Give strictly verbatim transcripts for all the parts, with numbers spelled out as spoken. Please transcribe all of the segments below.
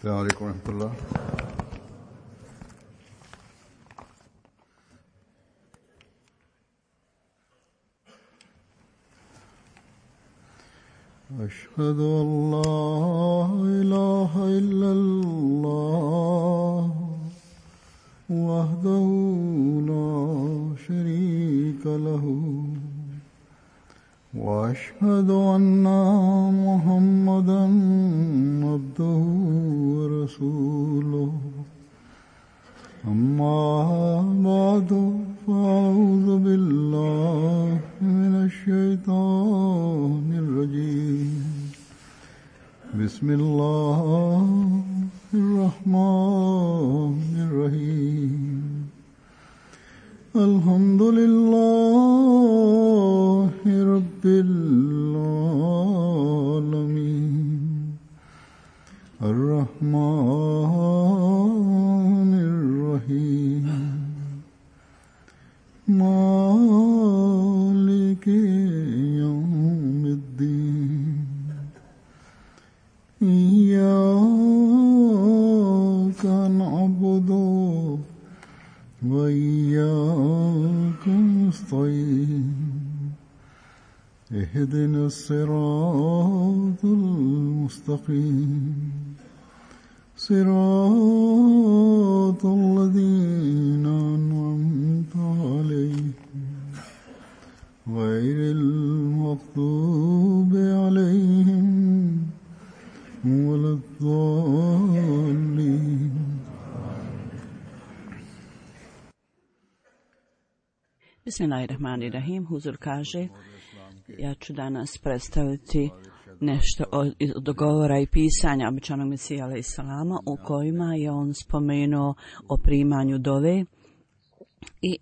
السلام عليكم ورحمة الله. أشهد أن لا إله إلا الله وحده لا شريك له وأشهد أن محمدا عبده ورسوله أما بعد فأعوذ بالله من الشيطان الرجيم بسم الله الرحمن الرحيم الحمد لله رب العالمين الرحمن الرحيم مالك يوم الدين إياك نعبد وإياك نستعين اهدنا الصراط المستقيم صراط الذين أنعمت عليهم غير المغضوب عليهم ولا الضالين. Bismillahirrahmanirrahim. Huzur kaže, ja ću danas predstaviti nešto od govora i pisanja običanog Mesija alejhi selama u kojima je on spomenuo o primanju dove i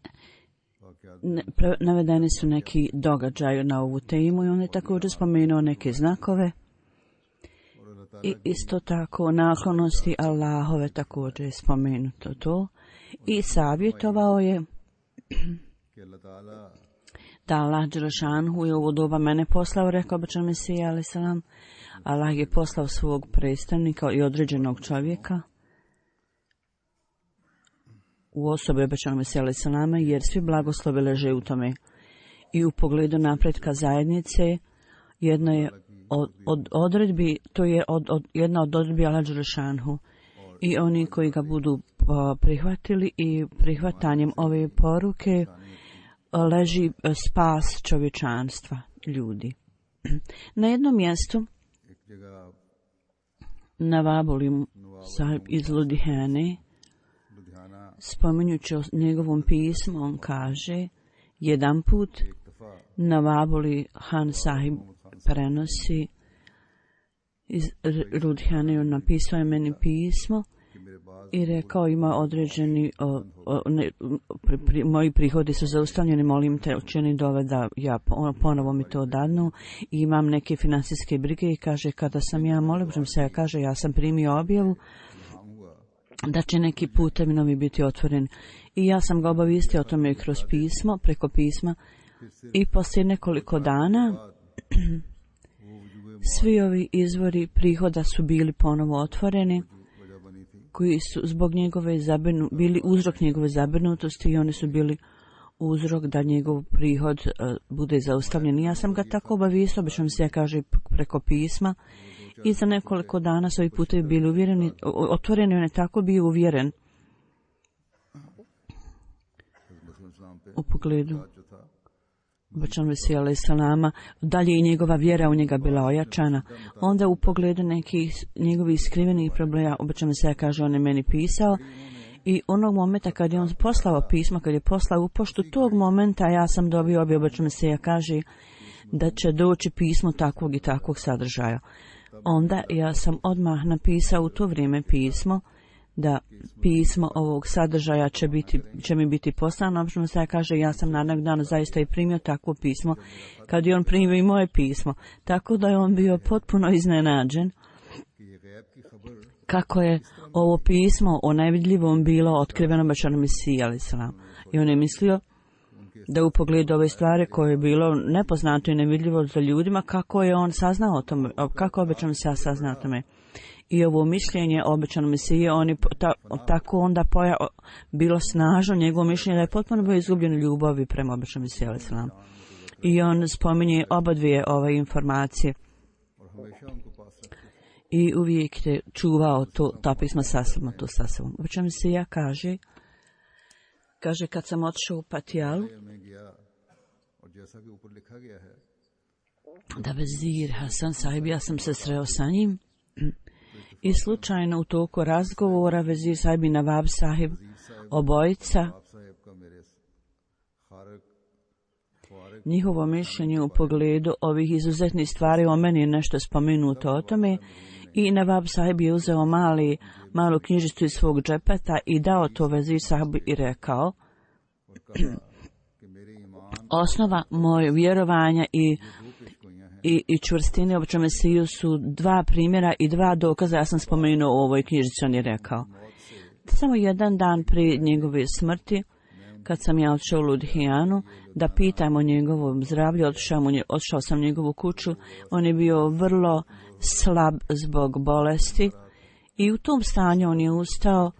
navedeni su neki događaji na ovu temu i on je također spomenuo neke znakove i isto tako naklonosti Allahove također je spomenuto to i savjetovao je da Allah dželešanhu je u ovo doba mene poslao, rekao običan Mesija alejhi selam. Allah je poslao svog predstavnika i određenog čovjeka u osobi običanog Mesija alejhi selama, jer svi blagoslovi leže u tome. I u pogledu napretka zajednice, jedna je od, od odredbi, to je od, od, jedna od odredbi Allah dželešanhu. I oni koji ga budu prihvatili i prihvatanjem ove poruke leži spas čovječanstva, ljudi. Na jednom mjestu na Vabulim sahib iz Ludhiane, spominjući o njegovom pismu, on kaže, jedan put na Vabuli Han sahib prenosi iz Ludhiane, on napisao je meni pismo i rekao, ima određeni o, o, ne, pri, pri, moji prihodi su zaustavljeni, molim te učini dove da ja ponovo mi to dadnu i imam neke financijske brige i kaže, kada sam ja molim se, ja kaže, ja sam primio objavu da će neki putevi novi biti otvoren i ja sam ga obavistio o tome kroz pismo, preko pisma i poslije nekoliko dana svi ovi izvori prihoda su bili ponovo otvoreni, koji su zbog njegove zabrinu, bili uzrok njegove zabrinutosti i oni su bili uzrok da njegov prihod uh, bude zaustavljen. Ja sam ga tako obavistio, obično se ja kaže preko pisma i za nekoliko dana su ovi putevi bili uvjereni, otvoreni, on je tako bio uvjeren u pogledu običanog Mesija alejhi selama, dalje i njegova vjera u njega bila ojačana. Onda u pogledu nekih njegovih skrivenih problema, običanog Mesija kaže, on je meni pisao i onog momenta kad je on poslao pismo, kad je poslao u poštu, tog momenta ja sam dobio objavu, običanog Mesija kaže da će doći pismo takvog i takvog sadržaja. Onda ja sam odmah napisao u to vrijeme pismo da pismo ovog sadržaja će, biti, će mi biti poslano. Obično se kaže, ja sam narednog dana zaista i primio takvo pismo, kad je on primio i moje pismo. Tako da je on bio potpuno iznenađen kako je ovo pismo o najvidljivom bilo otkriveno obećanom Mesiji alejhi selam. I on je mislio da u pogledu ove stvari koje je bilo nepoznato i nevidljivo za ljudima, kako je on saznao o tome, kako obećano se ja saznao o tome. i ovo mišljenje o obećanom Mesiji, on je ta, tako onda poja, bilo snažno njegovo mišljenje da je potpuno bio izgubljen ljubavi prema obećanom Mesiji alejhi selam. I on spominje oba dvije ove informacije i uvijek je čuvao to, ta pisma sa sobom, to sa sobom. Obećanom Mesija kaže, kaže kad sam otišao u Patijalu, da vezir Hasan sahib, ja sam se sreo sa njim i slučajno u toku razgovora vezir sahib i Nawab sahib, obojica, njihovo mišljenje u pogledu ovih izuzetnih stvari o meni je nešto spomenuto o tome i Nawab sahib je uzeo mali, malu knjižicu iz svog džepeta i dao to vezir sahibu i rekao, osnova moje vjerovanja i I, i čvrstine obećanom Mesiju su dva primjera i dva dokaza. Ja sam spomenuo u ovoj knjižici, on je rekao. Samo jedan dan prije njegove smrti, kad sam ja odšao u Ludhijanu, da pitam o njegovom zdravlju, odšao, mu, odšao sam u njegovu kuću, on je bio vrlo slab zbog bolesti i u tom stanju on je ustao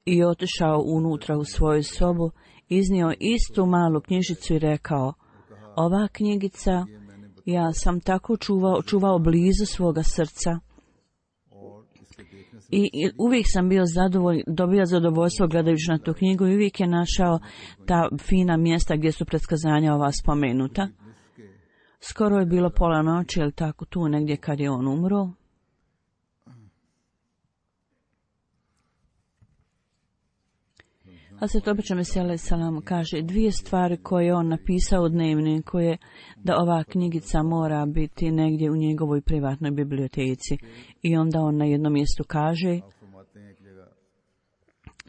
i otišao unutra u svoju sobu, iznio istu malu knjižicu i rekao, ova knjigica ja sam tako čuvao, čuvao blizu svoga srca I, i uvijek sam bio zadovolj, dobio zadovoljstvo gledajući na tu knjigu i uvijek je našao ta fina mjesta gdje su predskazanja ova spomenuta. Skoro je bilo pola noći, ili tako tu negdje kad je on umro. Hazret obećanom Mesiji alejhi selam kaže dvije stvari koje je on napisao u dnevniku je da ova knjigica mora biti negdje u njegovoj privatnoj biblioteci. I onda on na jednom mjestu kaže,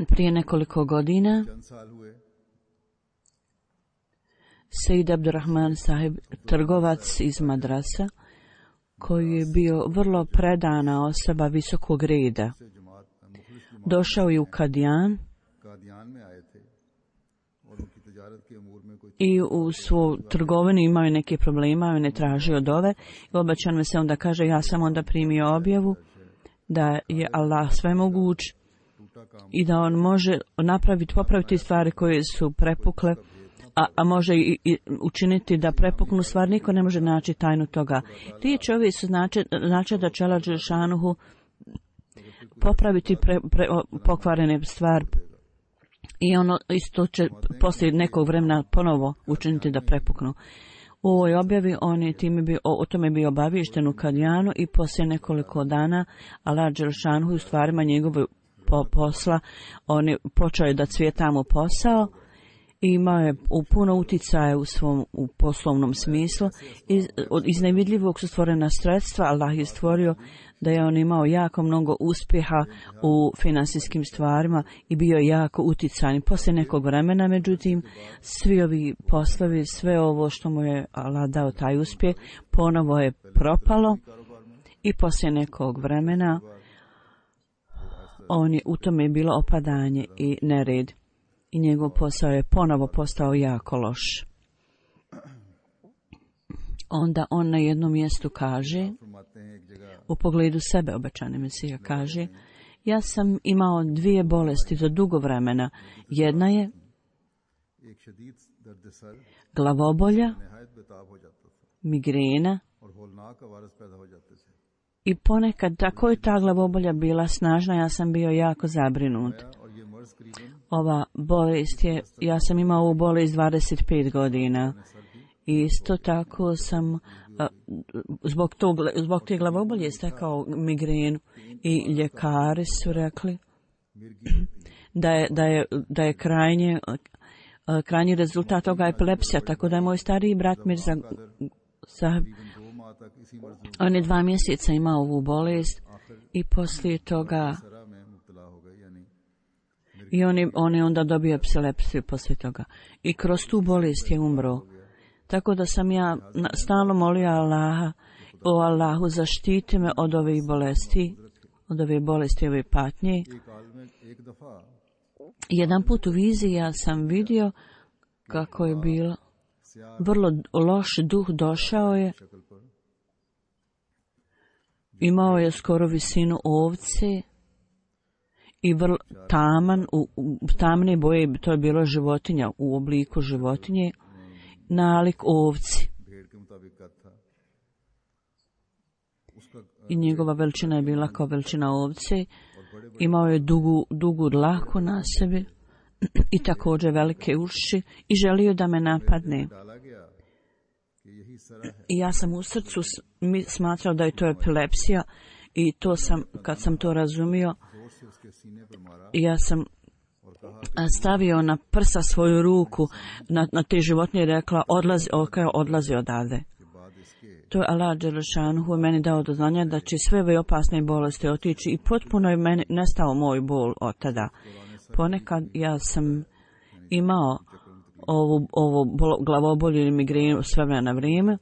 prije nekoliko godina Sejid Abdurrahman sahib, trgovac iz Madrasa, koji je bio vrlo predana osoba visokog reda, došao je u Kadijan i u svoju trgovinu imao je neke problema, on je tražio dove i obećan mi se onda kaže, ja sam onda primio objavu da je Allah svemoguć i da on može napraviti, popraviti stvari koje su prepukle, a, a može i, i učiniti da prepuknu stvar, niko ne može naći tajnu toga. Riječi ovi su znači, znači da će Allah dželešanuhu popraviti pre, pre, pokvarene stvari. I ono isto će poslije nekog vremena ponovo učiniti da prepuknu. U ovoj objavi on je time bio, o, o tome bio obaviješten u Kadijanu i poslije nekoliko dana Allah dželešanuhu u stvarima njegovog po, posla, on je počeo da cvijeta mu posao i imao je u puno uticaja u svom u poslovnom smislu. Iz, iz nevidljivog su stvorena sredstva, Allah je stvorio da je on imao jako mnogo uspjeha u finansijskim stvarima i bio jako uticajan. Poslije nekog vremena, međutim, svi ovi poslovi, sve ovo što mu je Allah dao taj uspjeh, ponovo je propalo i poslije nekog vremena on je, u tome je bilo opadanje i nered i njegov posao je ponovo postao jako loš. Onda on na jednom mjestu kaže, u pogledu sebe obećani Mesija kaže, ja sam imao dvije bolesti za dugo vremena. Jedna je glavobolja, migrena i ponekad tako je ta glavobolja bila snažna, ja sam bio jako zabrinut. Ova bolest je, ja sam imao ovu bolest dvadeset pet godina. Isto tako sam zbog, tog, zbog te glavobolje stekao migrenu i ljekari su rekli da je, da je, da je krajnje, krajnji rezultat toga epilepsija, tako da je moj stariji brat Mirza Sahib, on je dva mjeseca imao ovu bolest i poslije toga i on je, on je onda dobio epilepsiju poslije toga i kroz tu bolest je umro. Tako da sam ja stalno molio Allaha, o Allahu zaštiti me od ove bolesti, od ove bolesti, ove patnje. Jedan put u viziji ja sam vidio kako je bilo vrlo loš duh došao je imao je skoro visinu ovce i vrlo taman, u, u tamne boje, to je bilo životinja u obliku životinje, nalik ovci. I njegova veličina je bila kao veličina ovce. Imao je dugu, dugu dlaku na sebi i također velike uši i želio da me napadne. I ja sam u srcu smatrao da je to epilepsija i to sam, kad sam to razumio, ja sam stavio na prsa svoju ruku na, na te životinje i rekla odlazi, okaj, odlazi odavde. To je Allah Đelešanuhu meni dao do znanja da će sve ove opasne bolesti otići i potpuno je meni nestao moj bol od tada. Ponekad ja sam imao ovu, ovu glavobolju ili migrenu s vremena na vrijeme,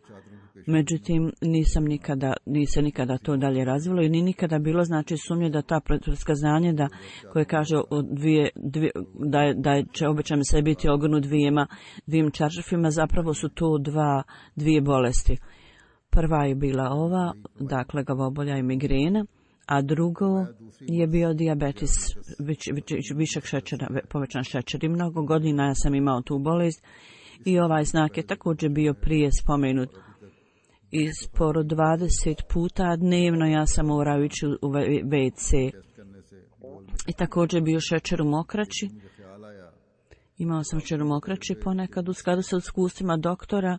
međutim nisam nikada, nisam nikada to dalje razvilo i ni nikada bilo znači sumnje da ta predskazanje da koje kaže o dvije, dvije, da, je, da je, će obećam se biti ogrnut dvijema, dvijim čaršafima, zapravo su to dva, dvije bolesti. Prva je bila ova, dakle glavobolja i migrena, a drugo je bio dijabetes, viš, viš, višak šećera, povećan šećer. I mnogo godina ja sam imao tu bolest i ovaj znak je također bio prije spomenut. I sporo dvadeset puta dnevno ja sam morao ići u ve ce. I također bio šećer u mokraći. Imao sam šećer u mokraći ponekad u skladu sa iskustvima doktora.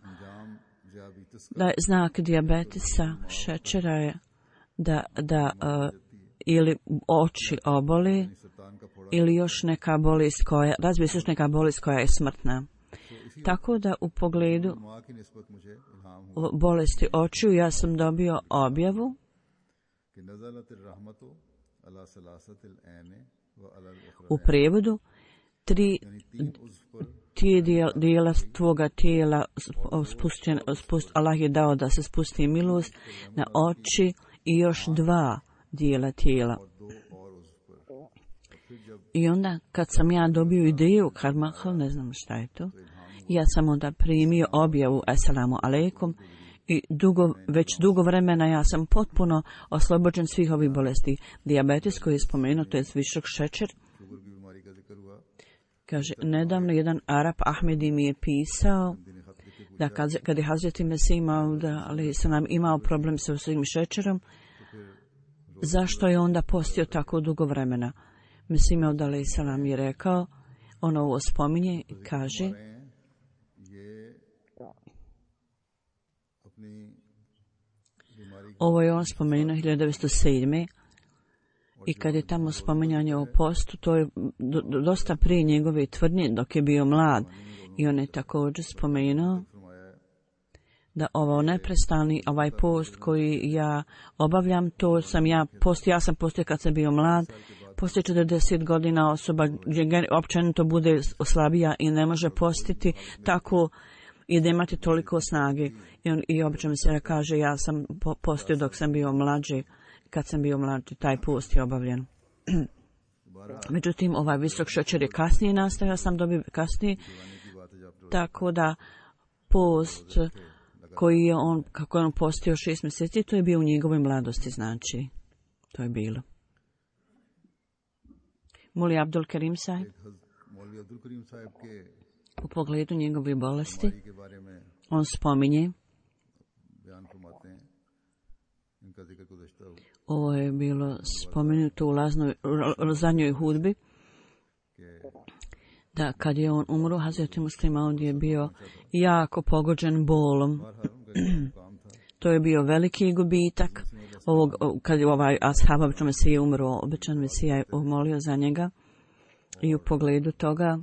Da je znak dijabetesa šećera je da, da uh, ili oči oboli ili još neka bolest koja, razvije se još neka bolest koja je smrtna. Tako da u pogledu bolesti očiju ja sam dobio objavu u prijevodu tri tije dijela tvoga tijela spušten, spust, Allah je dao da se spusti milost na oči i još dva dijela tijela. I onda kad sam ja dobio ideju Karmahal, ne znam šta je to, ja sam onda primio objavu Assalamu alaikum i dugo, već dugo vremena ja sam potpuno oslobođen svih ovih bolesti. Dijabetes koji je spomenuo, to je visok šećer. Kaže, nedavno jedan Arap Ahmedi mi je pisao da kad, kad je Hazreti Mesih imao, da, ali sam nam imao problem sa svojim šećerom, zašto je onda postio tako dugo vremena? Mesih imao da li sam nam je rekao, ono ovo spominje i kaže, ovo je on spomenuo hiljadu devetsto sedme. I kad je tamo spominjanje o postu, to je do, do, dosta prije njegove tvrdnje dok je bio mlad. I on je također spomenuo da ovo neprestani, ovaj post koji ja obavljam, to sam ja postio, ja sam postio kad sam bio mlad, poslije četrdeset godina osoba gdje općenito bude slabija i ne može postiti tako i da imati toliko snage. I, on, i obično se kaže, ja sam postio dok sam bio mlađi. Kad sam bio mlađi, taj post je obavljen. Međutim, ovaj visok šećer je kasnije nastao, ja sam dobio kasnije, tako da post koji je on, kako je on postio šest mjeseci, to je bio u njegovoj mladosti, znači, to je bilo. Moli Abdul Karim sahib, u pogledu njegove bolesti, on spominje, ovo je bilo spomenuto u laznoj, zadnjoj hudbi, da kad je on umro, Hazreti Muslima, on je bio jako pogođen bolom. To je bio veliki gubitak. Ovog, kad je ovaj ashab, običan Mesija umro, običan Mesija je molio za njega i u pogledu toga,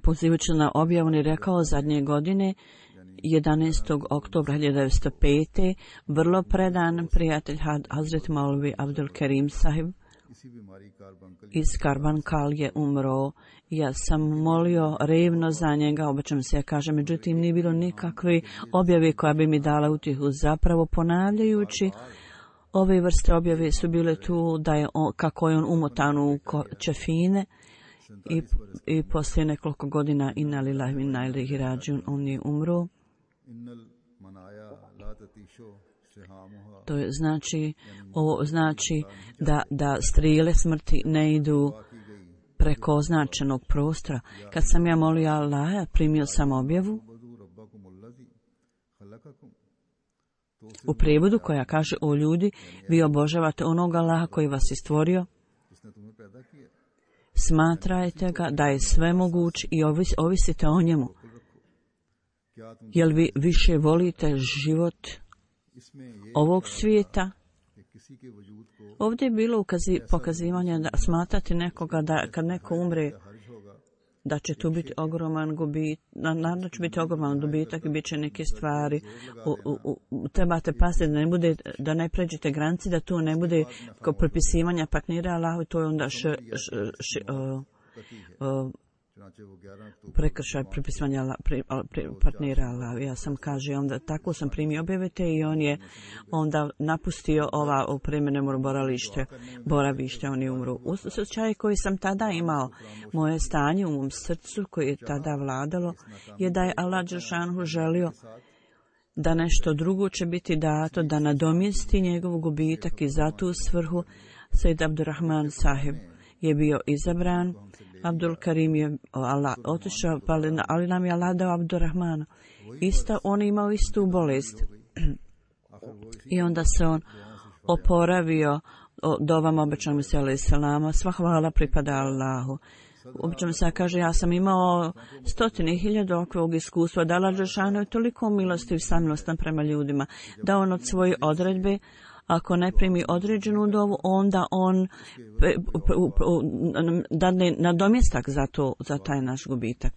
pozivajući na objavu, on je rekao zadnje godine, jedanaestog oktobra hiljadu devetsto pete. vrlo predan prijatelj Hazret Maulvi Abdul Karim sahib iz Karbankal je umro. Ja sam molio revno za njega, običam se ja kažem, međutim nije bilo nikakve objave koja bi mi dala utjehu, zapravo ponavljajući ove vrste objave su bile tu da je on, kako je on umotan u čefine i, i poslije nekoliko godina inna lillahi wa inna ilaihi rađiun on je umro. To je znači, ovo znači da, da strijele smrti ne idu preko označenog prostora. Kad sam ja molio Allaha, primio sam objavu u prijevodu koja kaže: o ljudi, vi obožavate onog Allaha koji vas je stvorio, smatrajte ga da je sve moguć i ovis, ovisite o njemu. Jel vi više volite život ovog svijeta? Ovdje je bilo ukazi, pokazivanje da smatrati nekoga da kad neko umre da će tu biti ogroman gubitak, naravno će biti ogroman dobitak i bit će neke stvari. U, u, u, trebate paziti da ne bude, da ne pređete granici, da tu ne bude kao propisivanja partnera Allahu, to je onda š, š, š, uh, uh, prekršaj pripisivanja partnera Allahu. Ja sam kaže onda tako sam primio objavite i on je onda napustio ova opremene boralište, boravište, oni umru. U slučaju koji sam tada imao, moje stanje u mom srcu koje je tada vladalo je da je Allah dželešanu želio da nešto drugo će biti dato, da nadomjesti njegov gubitak i za tu svrhu Sejd Abdurrahman sahib je bio izabran. Abdul Karim je Allah otišao, ali nam je Allah dao Abdurrahmana. Isto, on je imao istu bolest. I onda se on oporavio dovom obećanom se alaih salama. Sva hvala pripada Allahu. Obično se kaže, ja sam imao stotine hiljada ovog iskustva, da Allah dželešanu je toliko milostiv, samilostan prema ljudima, da on od svoje odredbe, ako ne primi određenu dovu, onda on dadne nadomjestak za to, za taj naš gubitak.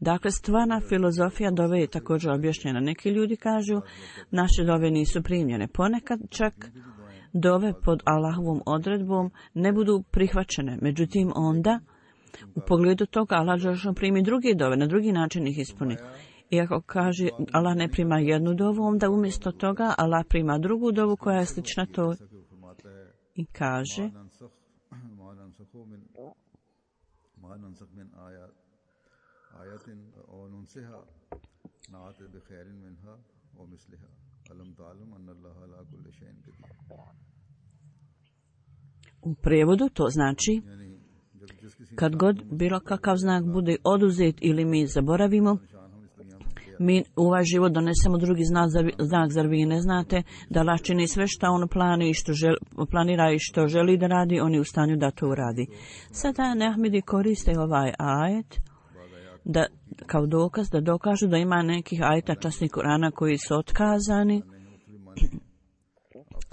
Dakle, stvarna filozofija dove je također objašnjena. Neki ljudi kažu, naše dove nisu primljene. Ponekad čak dove pod Allahovom odredbom ne budu prihvaćene. Međutim, onda u pogledu toga Allah dželešanu primi druge dove, na drugi način ih ispuni. I ako kaže Allah ne prima jednu dovu, onda umjesto toga Allah prima drugu dovu koja je slična to i kaže u prijevodu to znači kad god bilo kakav znak bude oduzet ili mi zaboravimo, mi u ovaj život donesemo drugi znak, znak, zar vi ne znate da Allah čini sve što on plani i što želi, planira i što želi da radi, on je u stanju da to uradi. Sada Nehmidi koriste ovaj ajet da, kao dokaz, da dokažu da ima nekih ajeta časnih Kurana koji su otkazani.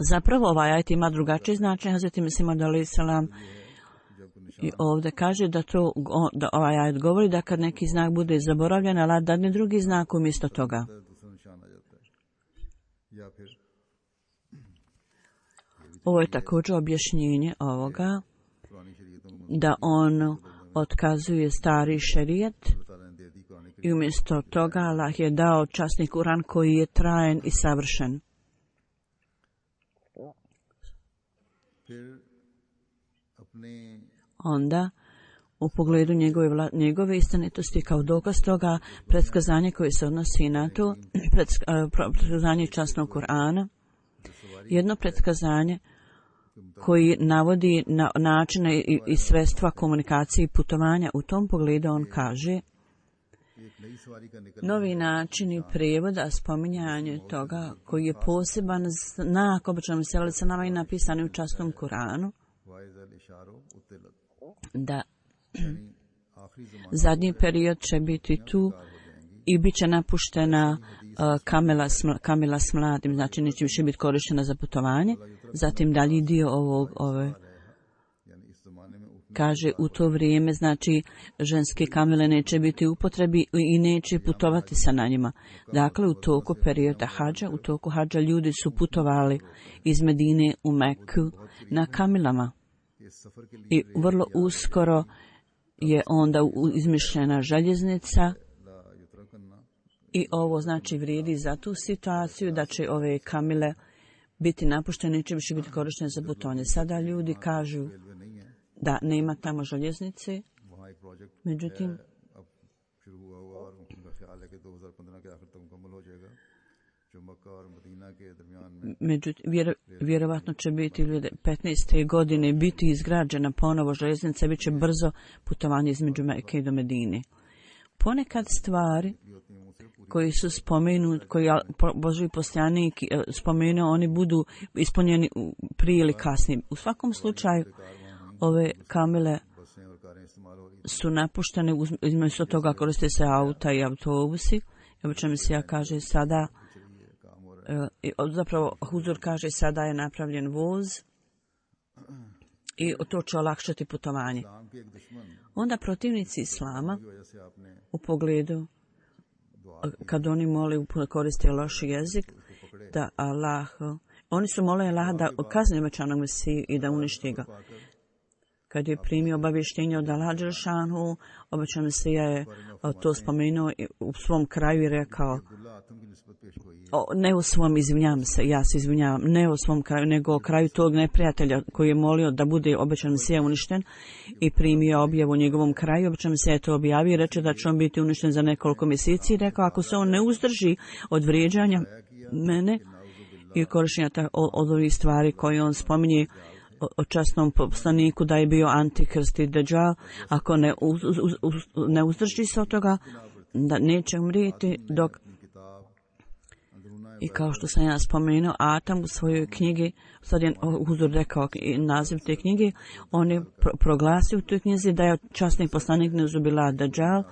Zapravo ovaj ajet ima drugačije značenje. Hazreti Mesih alejhi selam i ovdje kaže da to da ovaj ajet govori da kad neki znak bude zaboravljen, Allah dadne drugi znak umjesto toga. Ovo je također objašnjenje ovoga da on otkazuje stari šerijet i umjesto toga Allah je dao časni Kuran koji je trajen i savršen. Onda, u pogledu njegove, vla, njegove istinitosti kao dokaz toga, predskazanje koje se odnosi na to, predskazanje časnog Kur'ana, jedno predskazanje koji navodi na načine i, i sredstva komunikacije i putovanja. U tom pogledu on kaže novi načini prijevoda, spominjanje toga koji je poseban znak običnom se nama i napisani u časnom Kur'anu, da zadnji period će biti tu i bit će napuštena uh, kamela, smla, kamela s mladim, znači neće više biti korištena za putovanje. Zatim dalji dio ovog, ove, kaže u to vrijeme, znači ženske kamele neće biti u upotrebi i neće putovati sa na njima. Dakle, u toku perioda hadža, u toku hadža ljudi su putovali iz Medine u Meku na kamelama. I vrlo uskoro je onda izmišljena željeznica i ovo znači vrijedi za tu situaciju da će ove kamile biti napuštene, neće više biti korištene za putovanje. Sada ljudi kažu da nema tamo željeznice, međutim Međutim, vjero, vjerovatno će biti dvije tisuće petnaeste. godine biti izgrađena ponovo željeznica, bit će brzo putovanje između Mekke do Medine. Ponekad stvari koji su spomenuti, koji Božji poslanik spomenuo, oni budu ispunjeni prije ili kasnije. U svakom slučaju, ove kamile su napuštene, između toga koriste se auta i autobusi. Obično mi se ja kaže sada, zapravo Huzur kaže sada je napravljen voz i to će olakšati putovanje. Onda protivnici Islama u pogledu kad oni moli koriste loš jezik, da Allah, oni su molili Allah da kazni obećanog Mesiju i da uništi ga. Kad je primio obavještenje od Allah dželešanu, obećan Mesija je to spomenuo u svom kraju i rekao, o, ne u svom, izvinjavam se, ja se izvinjavam, ne u svom kraju, nego o kraju tog neprijatelja koji je molio da bude obećan Mesija uništen i primio objavu u njegovom kraju. Obećan Mesija je to objavio i reče da će on biti uništen za nekoliko mjeseci i rekao, ako se on ne uzdrži od vrijeđanja mene i korištenja od ovih stvari koje on spominje o časnom poslaniku da je bio antikrist i deđal, ako ne, uz, uz, uz, ne uzdrži se od toga, da neće umrijeti dok. I kao što sam ja spomenuo, Atam u svojoj knjigi, sad je Huzur rekao naziv te knjige, on je pro, proglasio u toj knjizi da je časni poslanik Neuzubila deđal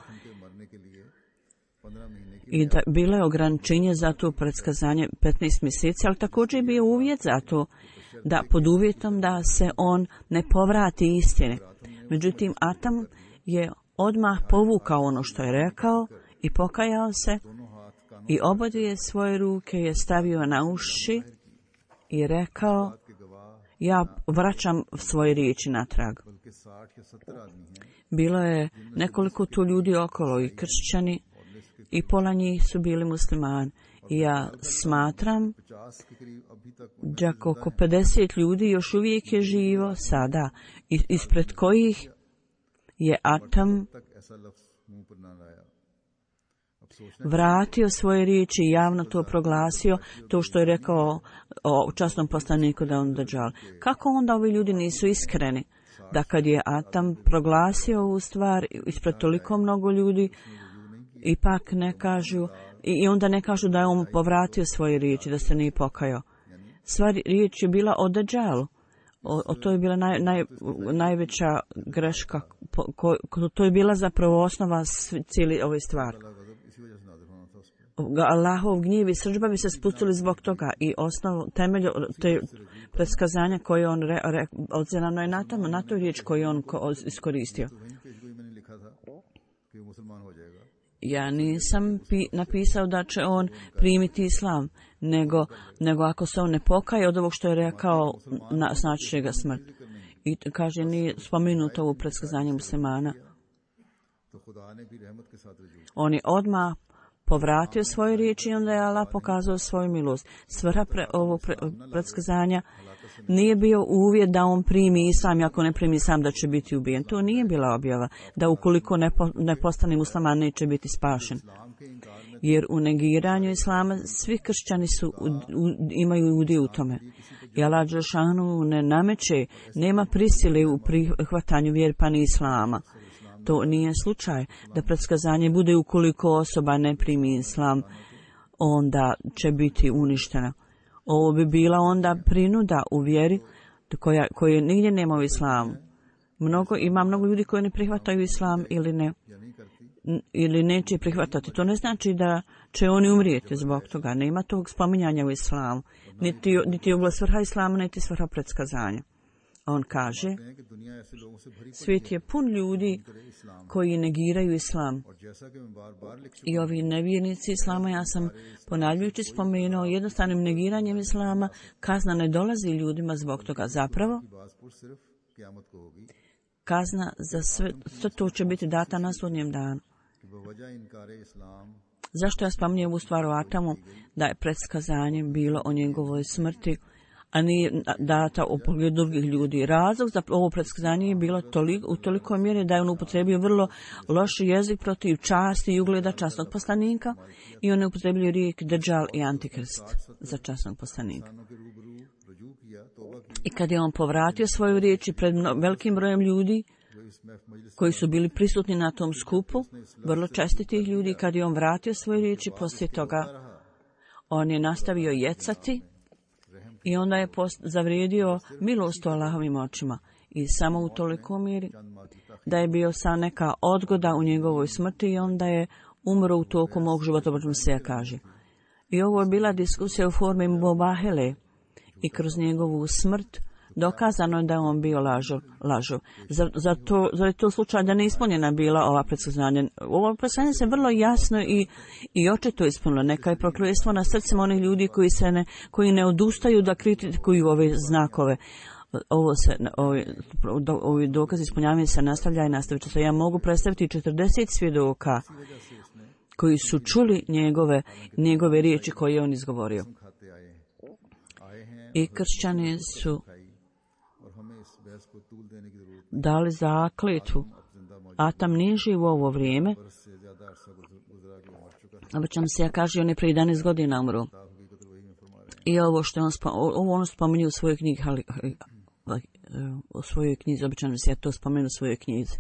i da bilo je ograničenje za to predskazanje petnaest mjeseci, ali također je bio uvjet za to, da pod uvjetom da se on ne povrati istine. Međutim, Atam je odmah povukao ono što je rekao i pokajao se i obadvije svoje ruke je stavio na uši i rekao, ja vraćam svoje riječi natrag. Bilo je nekoliko tu ljudi okolo i kršćani i pola njih su bili muslimani. I ja smatram da oko pedeset ljudi još uvijek je živo sada, ispred kojih je Atam vratio svoje riječi i javno to proglasio, to što je rekao o časnom poslaniku da on deđal. Kako onda ovi ljudi nisu iskreni? Da kad je Atam proglasio ovu stvar ispred toliko mnogo ljudi, ipak ne kažu, i onda ne kažu da je on povratio svoje riječi, da se nije pokajao. Sva riječ je bila o deđalu. O, o to je bila naj, naj, najveća greška. Ko, ko, to je bila zapravo osnova cijeli ove stvari. Allahov gnjev i srdžba bi se spustili zbog toga i osnov, temelj te predskazanja koje on re, re, odzirano je na tome, na toj riječ koju on ko, iskoristio. Ja nisam pi, napisao da će on primiti islam, nego, nego ako se on ne pokaje od ovog što je rekao, na, znači će ga smrt. I kaže, nije spomenuto u predskazanju muslimana. On je odmah povratio svoje riječi i onda je Allah pokazao svoju milost. Svrha pre, ovog pre, predskazanja nije bio uvjet da on primi islam i ako ne primi islam da će biti ubijen. To nije bila objava, da ukoliko ne, po, ne postane musliman neće biti spašen. Jer u negiranju islama svi kršćani su, u, u, imaju udio u tome. I Allah dželešanu ne nameće, nema prisile u prihvatanju vjere pa ni islama. To nije slučaj da predskazanje bude ukoliko osoba ne primi islam, onda će biti uništena. Ovo bi bila onda prinuda u vjeri koja, koje nigdje nema u islamu. Mnogo, ima mnogo ljudi koji ne prihvataju islam ili ne, ili neće prihvatati. To ne znači da će oni umrijeti zbog toga. Nema tog spominjanja u islamu. Niti, niti je ugla svrha islama, niti svrha predskazanja. On kaže, svijet je pun ljudi koji negiraju islam. I ovi nevjernici islama, ja sam ponavljajući spomenuo, jednostavnim negiranjem islama kazna ne dolazi ljudima zbog toga. Zapravo, kazna za sve, sve to će biti data na sudnjem danu. Zašto ja spominjem ovu stvar o Atamu? Da je predskazanje bilo o njegovoj smrti, a nije data u pogledu drugih ljudi. Razlog za ovo predskazanje je bilo toliko, u toliko mjere da je on upotrebio vrlo loš jezik protiv časti i ugleda časnog poslanika i on je upotrebio rijek Dajjal i Antikrist za časnog poslanika. I kad je on povratio svoju riječ i pred velikim brojem ljudi koji su bili prisutni na tom skupu, vrlo čestitih ljudi, kad je on vratio svoje riječi, poslije toga on je nastavio jecati i onda je post- zavrijedio milost u Allahovim očima. I samo u toliko mjeri da je bio sa neka odgoda u njegovoj smrti i onda je umro u toku mog života, počem se ja kaže. I ovo je bila diskusija u formi Mubahele i kroz njegovu smrt dokazano je da je on bio lažov. lažov. Zar, zar, to, zar je to slučaj da ne ispunjena bila ova predskazanja? Ovo predskazanje se vrlo jasno i, i očito ispunilo. Neka je prokletstvo na srcima onih ljudi koji, se ne, koji ne odustaju da kritikuju ove znakove. Ovo se, ovi, do, ovi dokazi ispunjavanja se nastavlja i nastavit će se. Ja mogu predstaviti četrdeset svjedoka koji su čuli njegove, njegove riječi koje je on izgovorio. I kršćani su dali zakletvu. Atam nije živ u ovo vrijeme. Obično se ja kaže, on je prije jedanaest godina umro. I ovo što on, ovo on spominje u svojoj knjigi, u svojoj knjizi, obično se ja to spomenu u svojoj knjizi.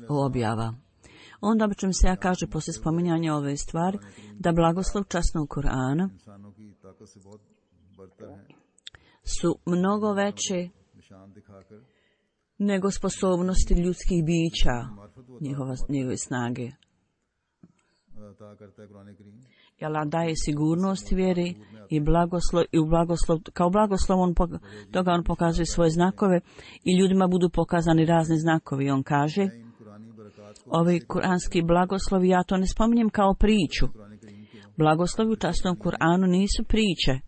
Objava. Onda obično se ja kaže, poslije spominjanja ove stvari, da blagoslov časnog Kur'ana su mnogo veće nego sposobnosti ljudskih bića, njihova, njihove snage. I Allah daje sigurnost vjeri i blagoslov, i u blagoslov, kao blagoslov on, toga on pokazuje svoje znakove i ljudima budu pokazani razni znakovi. On kaže, ovi kuranski blagoslovi, ja to ne spominjem kao priču. Blagoslovi u časnom Kur'anu nisu priče.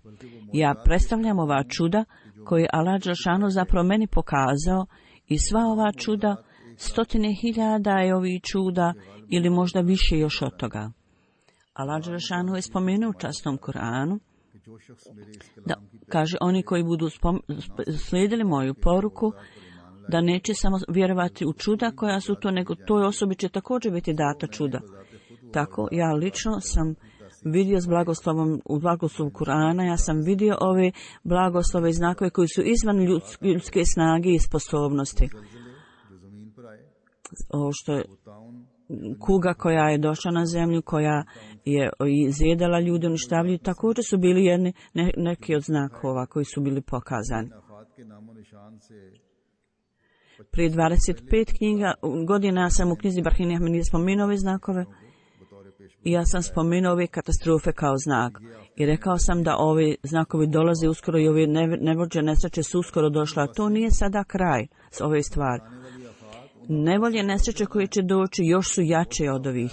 Ja predstavljam ova čuda koje Allah dželešanu zapravo meni pokazao i sva ova čuda, stotine hiljada je ovih čuda ili možda više još od toga. Allah dželešanu je spomenuo u časnom Kur'anu da kaže oni koji budu spom, slijedili moju poruku da neće samo vjerovati u čuda koja su to, nego toj osobi će također biti data čuda. Tako ja lično sam vidio s blagoslovom, u blagoslovu Kur'ana, ja sam vidio ove blagoslove i znakove koji su izvan ljudske snage i sposobnosti. Ovo što je kuga koja je došla na zemlju, koja je izjedala ljude, uništavljaju, također su bili jedni, ne, neki od znakova koji su bili pokazani. Prije dvadeset pet knjiga, godina sam u knjizi Barhini Ahmedije spomenuo ove znakove i ja sam spomenuo ove katastrofe kao znak. I rekao sam da ovi znakovi dolaze uskoro i ove nevolje nesreće su uskoro došla. To nije sada kraj s ove stvari. Nevolje nesreće koje će doći još su jače od ovih.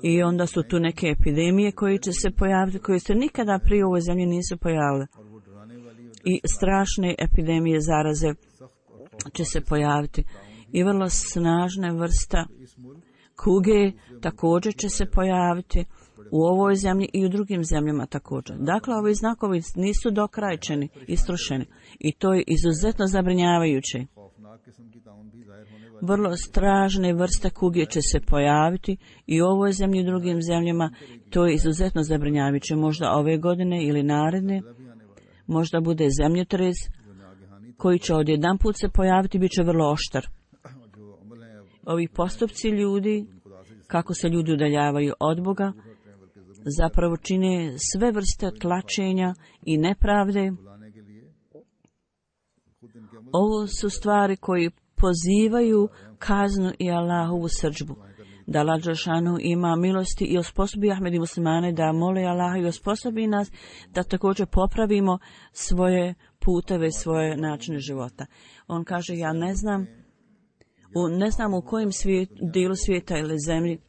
I onda su tu neke epidemije koje će se pojaviti, koje se nikada prije u ovoj zemlji nisu pojavile. I strašne epidemije zaraze će se pojaviti. I vrlo snažna vrsta kuge također će se pojaviti u ovoj zemlji i u drugim zemljama također. Dakle, ovi znakovi nisu dokrajčeni, istrošeni. I to je izuzetno zabrinjavajuće. Vrlo strašne vrste kuge će se pojaviti i u ovoj zemlji i u drugim zemljama. To je izuzetno zabrinjavajuće. Možda ove godine ili naredne, možda bude zemljotres koji će odjedan put se pojaviti, bit će vrlo oštar. Ovi postupci ljudi, kako se ljudi udaljavaju od Boga, zapravo čine sve vrste tlačenja i nepravde. Ovo su stvari koji pozivaju kaznu i Allahovu srdžbu. Da Allah dželešanu ima milosti i osposobi Ahmedi muslimane da mole Allaha i osposobi nas da također popravimo svoje puteve, svoje načine života. On kaže, ja ne znam, u, ne znam u kojem svijet, dijelu svijeta ili zemlji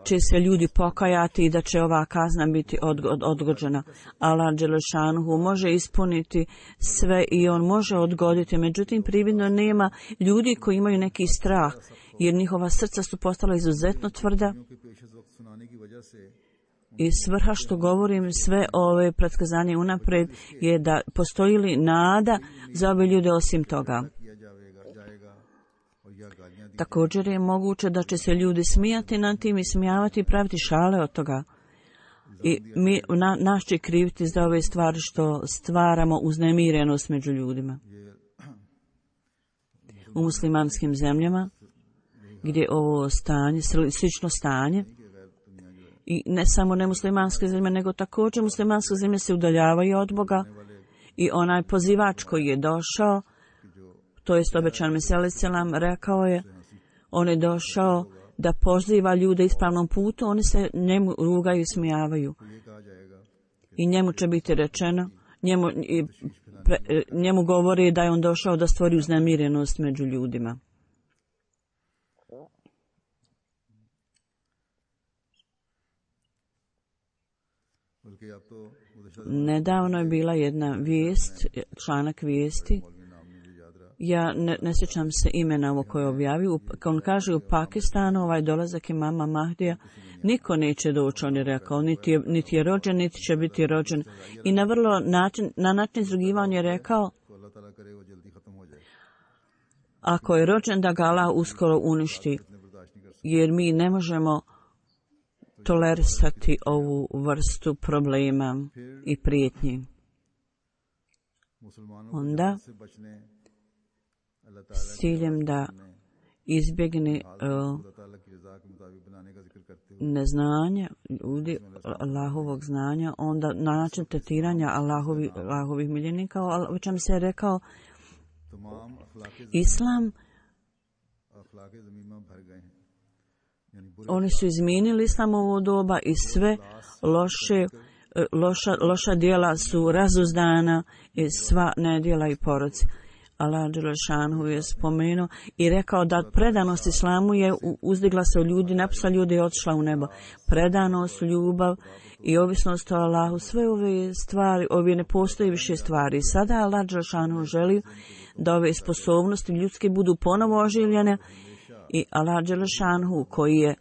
će se ljudi pokajati i da će ova kazna biti odgo- odgođena. Allah dželešanu može ispuniti sve i on može odgoditi. Međutim, prividno nema ljudi koji imaju neki strah, jer njihova srca su postala izuzetno tvrda I svrha što govorim sve ove predskazanje unaprijed je da postoji li nada za ove ljude osim toga. Također je moguće da će se ljudi smijati nad tim i smijavati i praviti šale od toga. I mi, na, naš će kriviti za ove stvari što stvaramo uznemirenost među ljudima. U muslimanskim zemljama, gdje ovo stanje, slično stanje, i ne samo nemuslimanske zemlje, nego također muslimanske zemlje se udaljavaju od Boga i onaj pozivač koji je došao, to jest obećan Mesija alejhi selam, rekao je, on je došao da poziva ljude ispravnom putu, oni se njemu rugaju i smijavaju. I njemu će biti rečeno, njemu, i, pre, njemu govori da je on došao da stvori uznemirenost među ljudima. Nedavno je bila jedna vijest, članak vijesti, ja ne, ne sjećam se imena ovo koje je objavio, kao on kaže u Pakistanu ovaj dolazak imama Mahdija, niko neće doći, on je rekao, niti je, niti je rođen, niti će biti rođen. I na vrlo način, na način izrugivanja je rekao, ako je rođen da ga Allah uskoro uništi, jer mi ne možemo tolerisati ovu vrstu problema i prijetnji. Onda, s ciljem da izbjegne uh, neznanje ljudi, Allahovog znanja, onda na način tretiranja Allahovi, Allahovih miljenika, o čem se je rekao, Islam, oni su izmijenili Islamovo doba i sve loše, loša, loša djela su razuzdana i sva nedjela i poroci. Allah dželešanu je spomenuo i rekao da predanost Islamu je uzdigla se u ljudi, napisa ljudi je otišla u nebo. Predanost, ljubav i ovisnost o Allahu, sve ove stvari, ove ne postoji više stvari. Sada Allah dželešanu želi da ove sposobnosti ljudske budu ponovo oživljene i Allah dželešanu koji je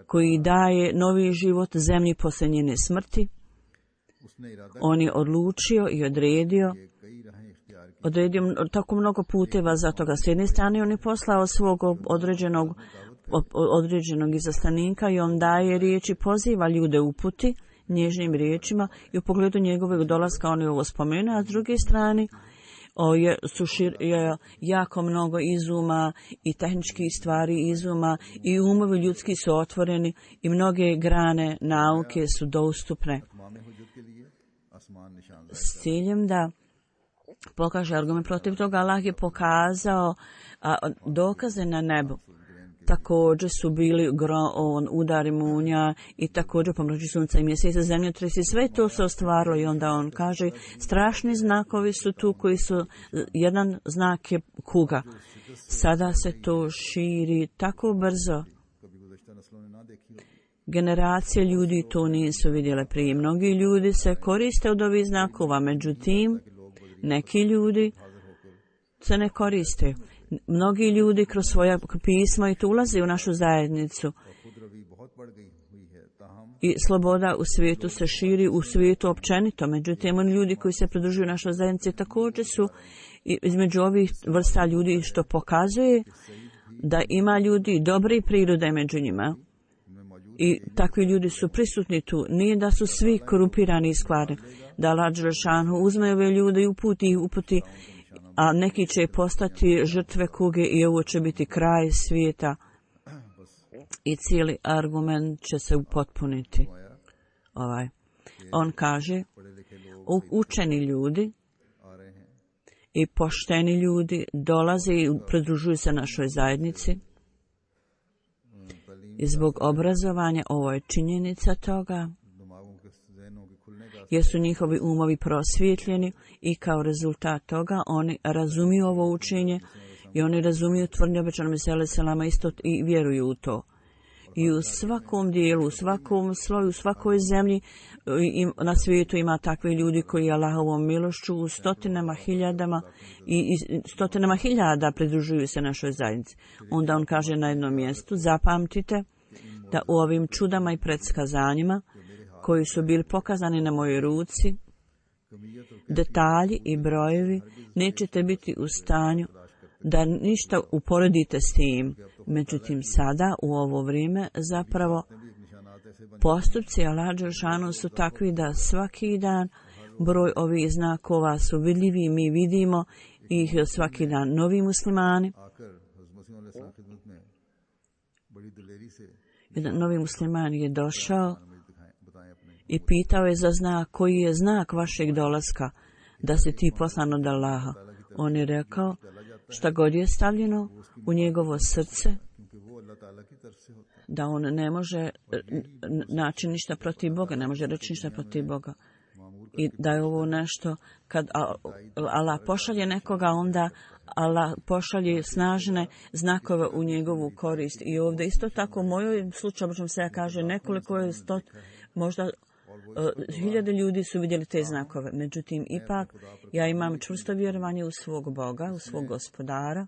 koji daje novi život zemlji poslije njene smrti, on je odlučio i odredio odredio tako mnogo puteva za toga. S jedne strane on je poslao svog određenog, određenog izaslanika i on daje riječi, poziva ljude uputi nježnim riječima i u pogledu njegovog dolaska on je ovo spomenuo, a s druge strane o, je, su šir, je jako mnogo izuma i tehničkih stvari izuma i umovi ljudski su otvoreni i mnoge grane nauke su dostupne s ciljem da pokaže argument protiv toga. Allah je pokazao a, dokaze na nebu. Također su bili gro, on, udari munja i također pomrači sunca i mjeseca, zemljotresi, sve to se ostvarilo i onda on kaže strašni znakovi su tu koji su, jedan znak je kuga. Sada se to širi tako brzo. Generacije ljudi to nisu vidjele prije. Mnogi ljudi se koriste od ovih znakova, međutim, neki ljudi se ne koriste. Mnogi ljudi kroz svoja pisma i to ulaze u našu zajednicu. I sloboda u svijetu se širi, u svijetu općenito. Međutim, oni ljudi koji se pridružuju našoj zajednici također su između ovih vrsta ljudi što pokazuje da ima ljudi dobre prirode među njima. I takvi ljudi su prisutni tu. Nije da su svi korumpirani i skvarni. Da Allah dželešanu uzme ove ljude i uputi ih uputi, a neki će postati žrtve kuge i ovo će biti kraj svijeta i cijeli argument će se upotpuniti. Ovaj. On kaže, učeni ljudi i pošteni ljudi dolaze i pridružuju se našoj zajednici. I zbog obrazovanja ovo je činjenica toga, jer su njihovi umovi prosvjetljeni i kao rezultat toga oni razumiju ovo učenje i oni razumiju tvrdnje obećanog Mesija alejhi selama isto i vjeruju u to. I u svakom dijelu, u svakom sloju, u svakoj zemlji na svijetu ima takvi ljudi koji Allahovom milošću u stotinama hiljadama i, i stotinama hiljada pridružuju se našoj zajednici. Onda on kaže na jednom mjestu, zapamtite da u ovim čudama i predskazanjima koji su bili pokazani na mojoj ruci, detalji i brojevi, nećete biti u stanju da ništa uporedite s tim. Međutim, sada, u ovo vrijeme, zapravo postupci Allah dželešanu su takvi da svaki dan broj ovih znakova su vidljivi, mi vidimo ih svaki dan. Novi muslimani, jedan novi musliman je došao i pitao je za znak, koji je znak vašeg dolaska, da si ti poslan od Allaha. On je rekao, šta god je stavljeno u njegovo srce, da on ne može naći ništa protiv Boga, ne može reći ništa protiv Boga. I da je ovo nešto, kad Allah pošalje nekoga, onda Allah pošalje snažne znakove u njegovu korist. I ovdje isto tako u mojoj slučaju, možemo se ja kaže, nekoliko je stot, možda uh, hiljade ljudi su vidjeli te znakove. Međutim, ipak, ja imam čvrsto vjerovanje u svog Boga, u svog gospodara,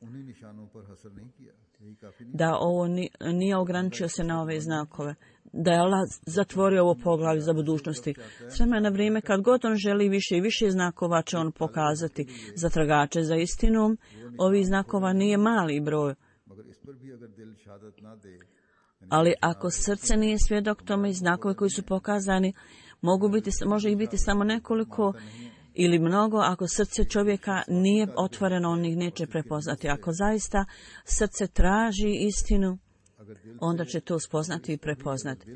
da ovo nije ograničio se na ove znakove, da je Allah zatvorio ovo poglavlje za budućnosti. S vremena na vrijeme, kad god on želi više i više znakova, će on pokazati za tragače za istinom. Ovih znakova nije mali broj. Ali ako srce nije svjedok tome i znakove koji su pokazani, mogu biti, može ih biti samo nekoliko ili mnogo. Ako srce čovjeka nije otvoreno, on ih neće prepoznati. Ako zaista srce traži istinu, onda će to spoznati i prepoznati.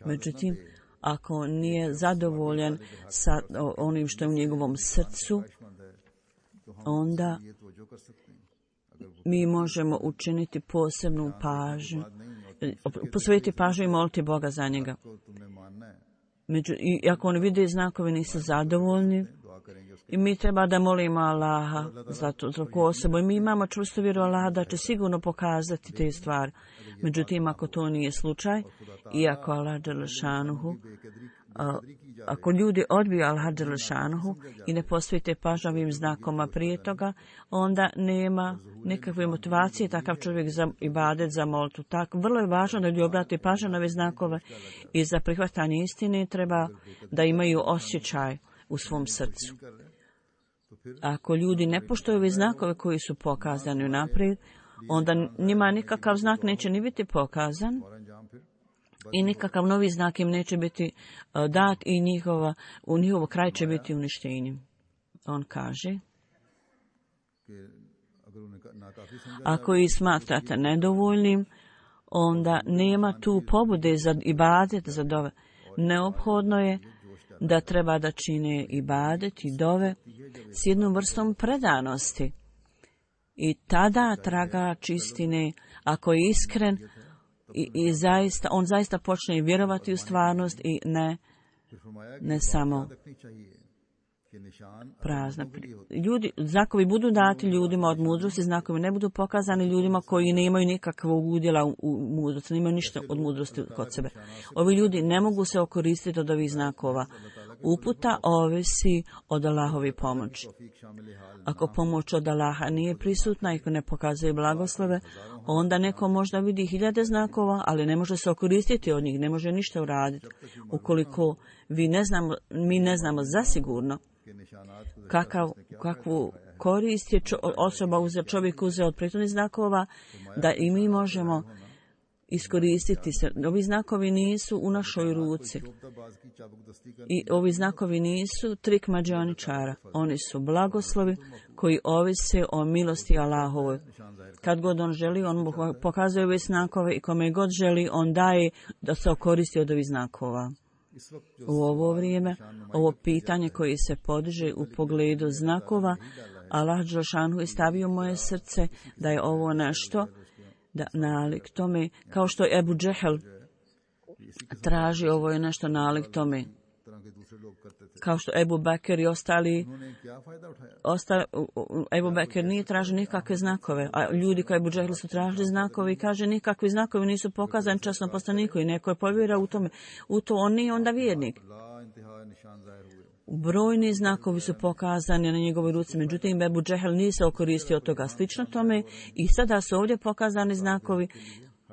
Međutim, ako nije zadovoljan sa onim što je u njegovom srcu, onda mi možemo učiniti posebnu pažnju, posvetiti pažnju i moliti Boga za njega. Među, i ako oni vide znakovi nisu zadovoljni, i mi treba da molimo Allaha za tu osobu. I mi imamo čvrstu vjeru Allaha da će sigurno pokazati te stvari. Međutim, ako to nije slučaj, i ako Allah dželešanuhu, ako ljudi odbiju Allah dželešanuhu i ne posvete pažnju ovim znakoma prije toga, onda nema nikakve motivacije takav čovjek za ibadet, za molitvu. Tako, vrlo je važno da ljudi obrate pažnju na ove znakove i za prihvatanje istine treba da imaju osjećaj u svom srcu. Ako ljudi ne poštuju ove znakove koji su pokazani unaprijed, onda njima nikakav znak neće ni biti pokazan i nikakav novi znak im neće biti dat i njihova, u njihovo kraj će biti uništenje. On kaže, ako ih smatrate nedovoljnim, onda nema tu pobude za ibadet, za dove. Neophodno je da treba da čine ibadet i dove s jednom vrstom predanosti. I tada tragač istine, ako je iskren, i, i zaista, on zaista počne vjerovati u stvarnost i ne, ne samo prazna. Ljudi, znakovi budu dati ljudima od mudrosti, znakovi ne budu pokazani ljudima koji nemaju nikakvog udjela u, u mudrosti, nemaju ništa od mudrosti kod sebe. Ovi ljudi ne mogu se okoristiti od ovih znakova. Uputa ovisi od Allahovi pomoći. Ako pomoć od Allaha nije prisutna i ako ne pokazuje blagoslove, onda neko možda vidi hiljade znakova, ali ne može se okoristiti od njih, ne može ništa uraditi. Ukoliko vi ne znamo, mi ne znamo zasigurno kakav, kakvu korist je čo, osoba uzeo, čovjek uzeo od prethodnih znakova, da i mi možemo iskoristiti se. Ovi znakovi nisu u našoj ruci. I ovi znakovi nisu trik mađioničara. Oni su blagoslovi koji ovise o milosti Allahovoj. Kad god on želi, on mu pokazuje ove znakove i kome god želi, on daje da se okoristi od ovih znakova. U ovo vrijeme, ovo pitanje koje se podiže u pogledu znakova, Allah dželešanu je stavio moje srce da je ovo nešto da nalik tome, kao što je Ebu Džehel traži, ovo je nešto nalik tome. Kao što Ebu Bekir i ostali, ostali Ebu Bekir nije tražio nikakve znakove, a ljudi kao Ebu Džehel su tražili znakove i kaže nikakvi znakovi nisu pokazani časnom poslaniku i neko je povjerao u tome. U to on nije onda vjernik. Brojni znakovi su pokazani na njegovoj ruci, međutim Ebu Džehel nije se okoristio od toga. Slično tome i sada su ovdje pokazani znakovi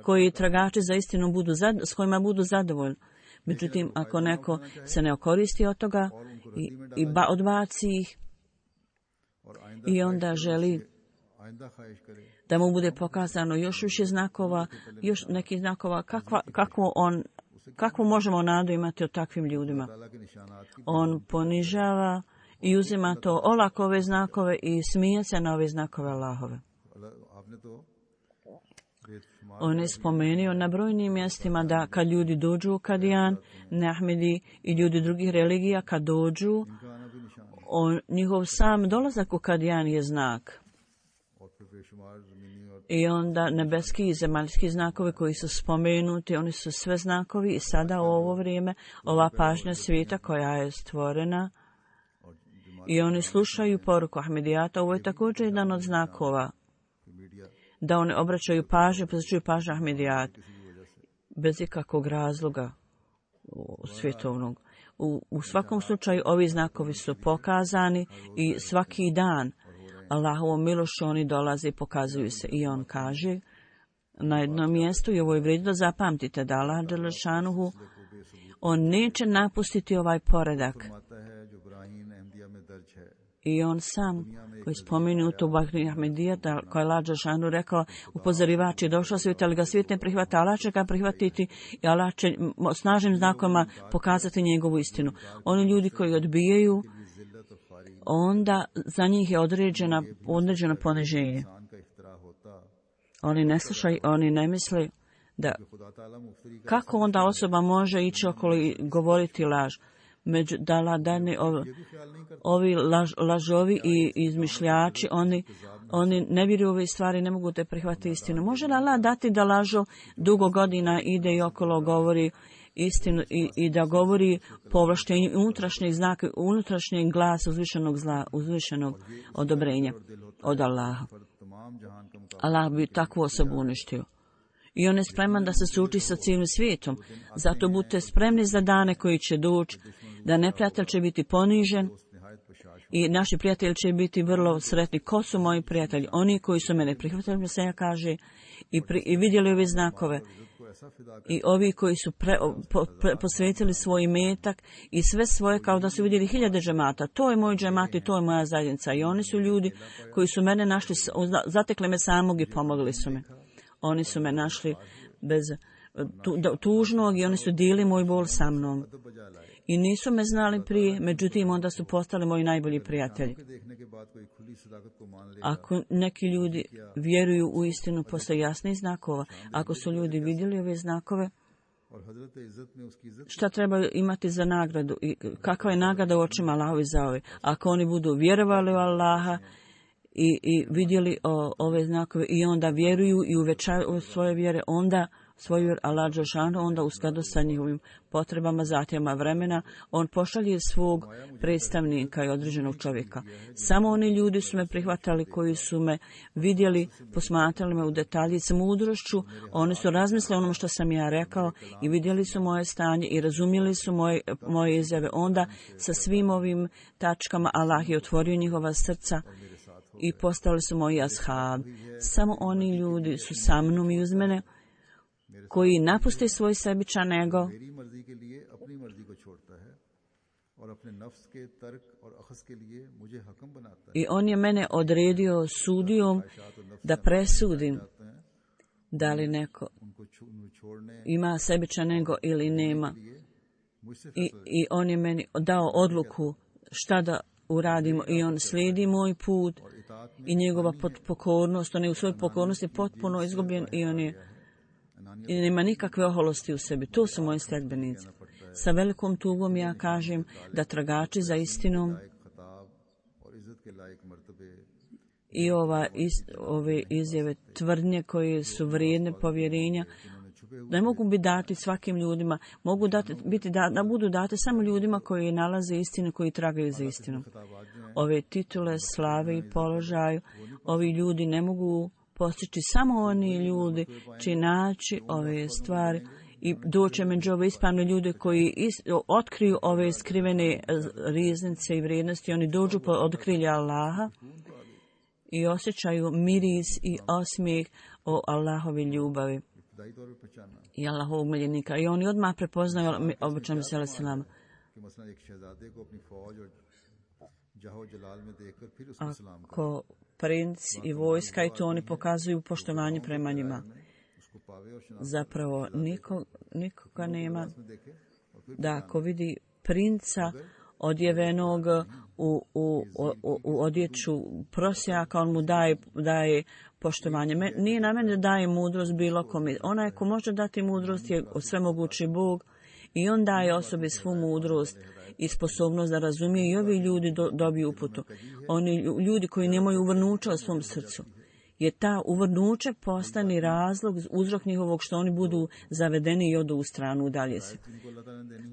koji tragači za istinu budu, s kojima budu zadovoljni. Međutim, ako neko se ne okoristi od toga i, i ba, odbaci ih i onda želi da mu bude pokazano još više znakova, još nekih znakova, kakva, kakvo on, kakvu možemo nadu imati o takvim ljudima. On ponižava i uzima to olako ove znakove i smije se na ove znakove Allahove. On je spomenuo na brojnim mjestima da kad ljudi dođu u Kadijan, Ahmedi i ljudi drugih religija, kad dođu, on, njihov sam dolazak u Kadijan je znak. I onda nebeski i zemaljski znakovi koji su spomenuti, oni su sve znakovi i sada u ovo vrijeme, ova pažnja svijeta koja je stvorena i oni slušaju poruku Ahmedijata, ovo je također jedan od znakova da oni obraćaju pažnju, posvećuju pažnju Ahmedijat bez ikakvog razloga svjetovnog. U, u svakom slučaju ovi znakovi su pokazani i svaki dan Allahovom milošću oni dolaze i pokazuju se. I on kaže na jednom mjestu, i ovo je vrijedno da zapamtite, da Allah dželešanuhu, on neće napustiti ovaj poredak. I on sam, koji spomenu to Bahri Ahmedija, koji je Allah dželešanuhu rekao, upozorivač je došao svijet, ali ga svijet ne prihvata, Allah će ga prihvatiti i Allah će snažnim znakovima pokazati njegovu istinu. Oni ljudi koji odbijaju, onda za njih je određena, određeno poniženje. Oni ne slušaju, oni ne misle da kako onda osoba može ići okolo i govoriti laž. Među da dani ovi, ovi laž, lažovi i izmišljači, oni, oni ne vjeruju ove stvari, ne mogu te prihvatiti istinu. Može li Allah dati da lažo dugo godina ide i okolo govori istinu i, i da govori po ovlaštenju unutrašnjeg znaka, unutrašnjeg glasa uzvišenog zla, uzvišenog odobrenja od Allaha. Allah bi takvu osobu uništio. I on je spreman da se suči sa cijelim svijetom. Zato budite spremni za dane koji će doći, da neprijatelj će biti ponižen i naši prijatelji će biti vrlo sretni. Ko su moji prijatelji? Oni koji su mene prihvatili, se ja kaže, i, pri, i vidjeli ove znakove. I ovi koji su pre, po, pre, posvetili svoj imetak i sve svoje kao da su vidjeli hiljade džemata. To je moj džemat i to je moja zajednica. I oni su ljudi koji su mene našli, zatekli me samog i pomogli su me. Oni su me našli bez tu, tužnog i oni su dijeli moj bol sa mnom. I nisu me znali prije, međutim onda su postali moji najbolji prijatelji. Ako neki ljudi vjeruju u istinu posle jasnih znakova, ako su ljudi vidjeli ove znakove, šta trebaju imati za nagradu i kakva je nagrada u očima Allahovi za ove? Ako oni budu vjerovali u Allaha i, i vidjeli o, ove znakove i onda vjeruju i uvećaju svoje vjere, onda svoju vjeru Allah dželešanu, onda u skladu sa njihovim potrebama, zahtjevima vremena, on pošalje svog predstavnika i određenog čovjeka. Samo oni ljudi su me prihvatali koji su me vidjeli, posmatrali me u detalji s mudrošću, oni su razmislili onom što sam ja rekao i vidjeli su moje stanje i razumjeli su moje, moje izjave. Onda sa svim ovim tačkama Allah je otvorio njihova srca i postali su moji ashab. Samo oni ljudi su sa mnom i uz mene koji napuste svoj sebičan ego i on je mene odredio sudijom da presudim da li neko ima sebičan ego ili nema. I, i on je meni dao odluku šta da uradimo i on slijedi moj put i njegova pokornost, on je u svojoj pokornosti potpuno izgubljen i on je i nema nikakve oholosti u sebi. To su moji sledbenici. Sa velikom tugom ja kažem da tragači za istinom i ova, is, ove izjave tvrdnje koje su vrijedne povjerenja ne mogu biti dati svakim ljudima, mogu dati, biti da, da budu date samo ljudima koji nalaze istinu, koji tragaju za istinom. Ove titule, slave i položaju, ovi ljudi ne mogu postići samo oni ljudi će naći ove stvari i doće među ove ispravne ljude koji is, otkriju ove skrivene riznice i vrijednosti. Oni dođu po otkrilje Allaha i osjećaju miris i osmijeh o Allahovi ljubavi. i Allahovog miljenika. I oni odmah prepoznaju običan Mesija alejhi selam. Ako princ i vojska i to oni pokazuju poštovanje prema njima. Zapravo niko, nikoga nema da ako vidi princa odjevenog u, u, u, u odjeću prosjaka, on mu daje, daje poštovanje. Me, nije na mene da daje mudrost bilo kome. Onaj ko može dati mudrost je svemogući Bog i on daje osobi svu mudrost i sposobnost da razumije i ovi ljudi do, dobiju uputu. Oni ljudi koji nemaju uvrnuća u svom srcu. Je ta uvrnuće postani razlog, uzrok njihovog što oni budu zavedeni i odu u stranu, udalje se.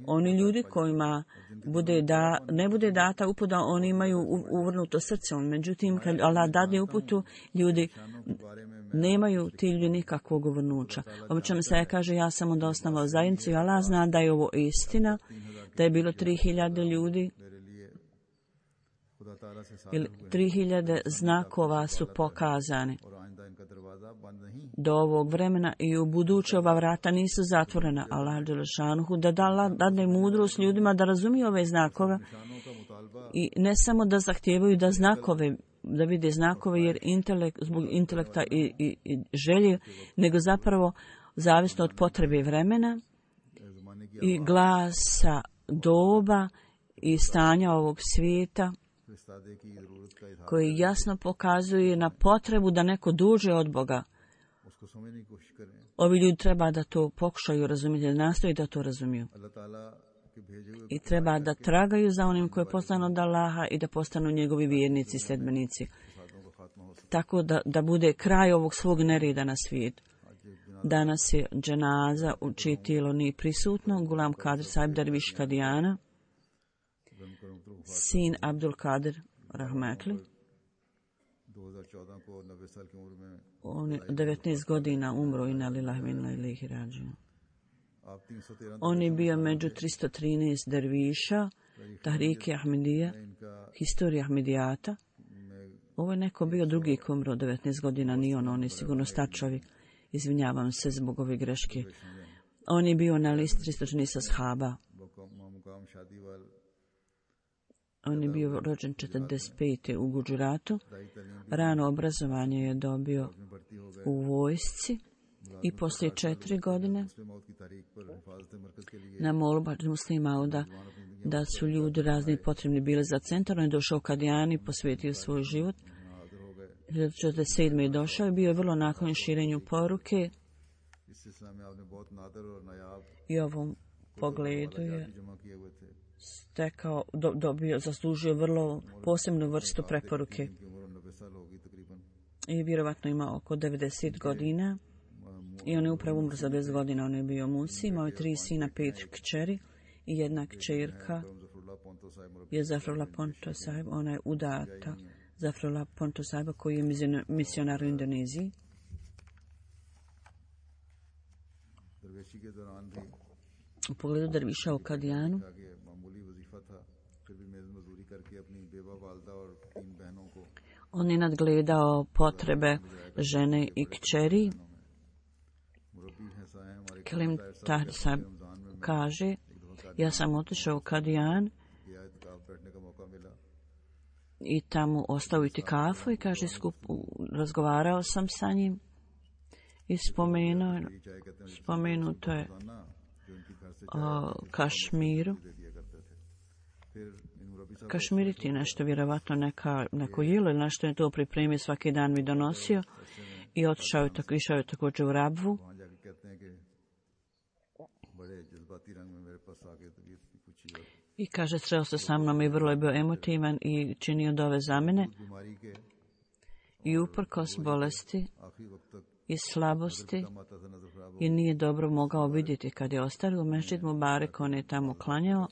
Oni ljudi kojima bude da, ne bude data uputa, oni imaju uvrnuto srce. Međutim, kad Allah dadne uputu, ljudi nemaju ti ljudi nikakvog uvrnuća. Obično se kaže, ja sam onda osnovao zajednicu i Allah zna da je ovo istina, da je bilo tri hiljade ljudi, ili tri hiljade znakova su pokazani do ovog vremena i u buduće ova vrata nisu zatvorena. Allah dželešanuhu da dadne mudrost ljudima da razumiju ove znakove i ne samo da zahtijevaju da znakove, da vide znakove jer intelekt, zbog intelekta i, i, i želje, nego zapravo zavisno od potrebe vremena i glasa doba i stanja ovog svijeta koji jasno pokazuje na potrebu da neko duže od Boga. Ovi ljudi treba da to pokušaju razumjeti, da nastoji da to razumiju. I treba da tragaju za onim koji je poslan od Allaha i da postanu njegovi vjernici i sledbenici. Tako da, da bude kraj ovog svog nereda na svijetu. Danas je dženaza u čije tijelo nije prisutno, Gulam Kadir Sahib Derviš Kadijana, sin Abdul Kadir Rahmetli. On je devetnaest godina umro i nalillahi wa inna ilaihi rađiun. On je bio među tristo trinaest derviša, Tahrike Ahmedija, historija Ahmedijata. Ovo je neko bio drugi ko umro devetnaest godina, nije on, on je sigurno star čovjek. Izvinjavam se zbog ove greške. On je bio na listi tristo trinaest ashaba. On je bio rođen četrdeset pete u Gudžuratu. Rano obrazovanje je dobio u vojsci i poslije četiri godine na molbu muslima da, da su ljudi razni potrebni bili za centar. On je došao u Kadijani, posvetio svoj život. hiljadu četrdeset sedme je došao i bio je vrlo naklonjen širenju poruke. I ovom pogledu je stekao, do, dobio, zaslužio vrlo posebnu vrstu preporuke. I vjerovatno ima oko devedeset godina. I on je upravo umro za deset godina. On je bio musi, imao je tri sina, pet kćeri i jedna kćerka je Zafrullah Ponto Sahib. Ona je udata Zafrullah Ponto Sahiba koji je misionar u Indoneziji. U pogledu derviša u Kadijanu on je nadgledao potrebe žene i kćeri. Kelim Tahir Sahib kaže, ja sam otišao u Kadijan i tamo ostao itikafu i kaže, skup, razgovarao sam sa njim i spomenuo, spomenuto je o Kašmiru. Kašmiriti nešto, vjerovatno neka, neko jelo ili nešto je to pripremio, svaki dan mi donosio i otišao je tako, išao je također u Rabvu. I kaže, sreo se sa mnom i vrlo je bio emotivan i činio dove za mene. I uprkos bolesti i slabosti i nije dobro mogao vidjeti kad je ostario u Mešćid Mubarek, on je tamo klanjao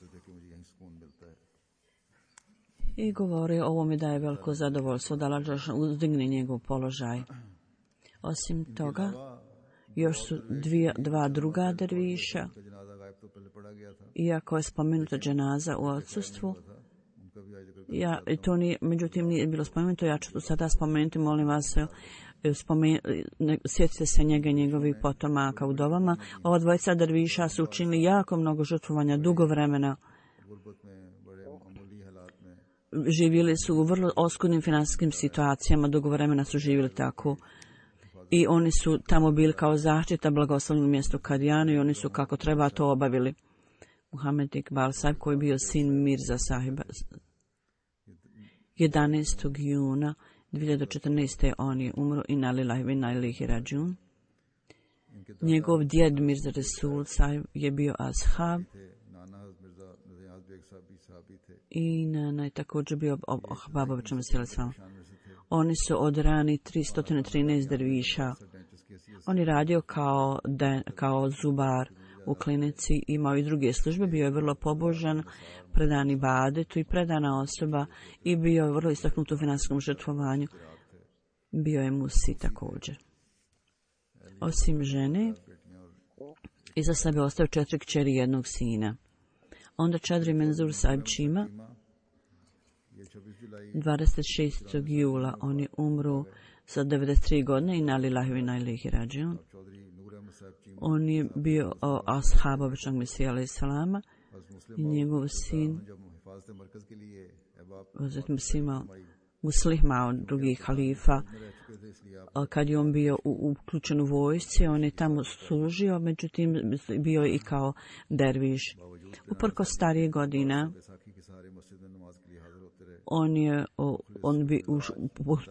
i govori, ovo mi daje veliko zadovoljstvo da Allah uzdigne njegov položaj. Osim toga, još su dvije, dva druga derviša, iako je spomenuta dženaza u odsustvu, ja, to nije, međutim nije bilo spomenuto, ja ću to sada spomenuti, molim vas, Sjetite se njega i njegovih potomaka u dovama. Ova dvojica derviša su učinili jako mnogo žrtvovanja dugo vremena. Živjeli su u vrlo oskudnim finansijskim situacijama, dugo vremena su živjeli tako. I oni su tamo bili kao zaštita blagoslovnog mjestu Kadijanu i oni su kako treba to obavili. Muhammed Iqbal Sahib, koji je bio sin Mirza Sahiba, jedanaestog juna dvije hiljade četrnaeste. on je umro i inna lillahi wa inna ilaihi rađiun. Njegov djed Mirza Rasul Sahib je bio ashab i nana je također bio Ahbabovićem Sjelesama. Oni su od rani tristo trinaest derviša. On je radio kao, de, kao zubar u klinici, imao i druge službe, bio je vrlo pobožan, predan ibadetu i predana osoba i bio je vrlo istaknut u finansijskom žrtvovanju. Bio je musi također. Osim žene, iza sebe ostao četiri kćeri i jednog sina. Onda Čadri Menzur Sahib Čima, dvadeset šestog jula on je umro sa devedeset tri godine i inna lillahi wa inna ilaihi rađiun. On je bio ashab običnog Mesija alejhi salama i njegov sin Muslih Maud, drugi halifa. Kad je on bio uključen u vojsci, on je tamo služio, međutim bio je i kao derviš. Uprko starije godina, on je on bi uz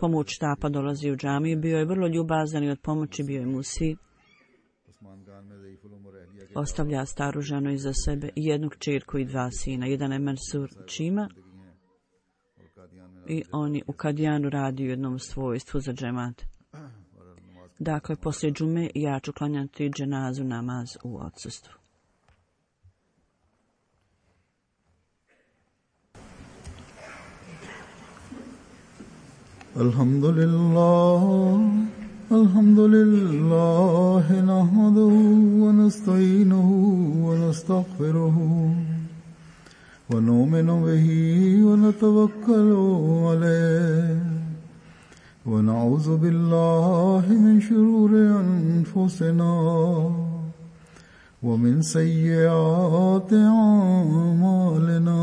pomoć štapa dolazio u džamiju, bio je vrlo ljubazan i od pomoći bio je musi. Ostavlja staru ženu iza sebe i jednu kćerku i dva sina. Jedan je Mansur Čima i on je u Kadijanu radi u jednom svojstvu za džemat. Dakle, poslije džume ja ću klanjati dženazu namaz u odsustvu. Alhamdulillah, alhamdulillah, nahmaduhu wa nasta'inuhu wa nastaghfiruhu wa nu'minu bihi wa natawakkalu alayhi wa na'udhu billahi min shururi anfusina wa min sayyiati a'malina.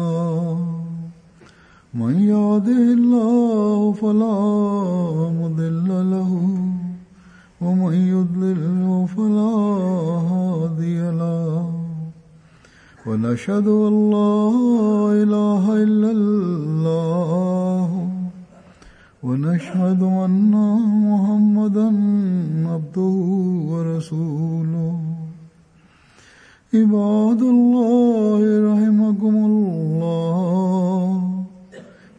من يهده الله فلا مضل له ومن يضلل فلا هادي له ونشهد أن لا إله إلا الله ونشهد أن محمدا عبده ورسوله عباد الله رحمكم الله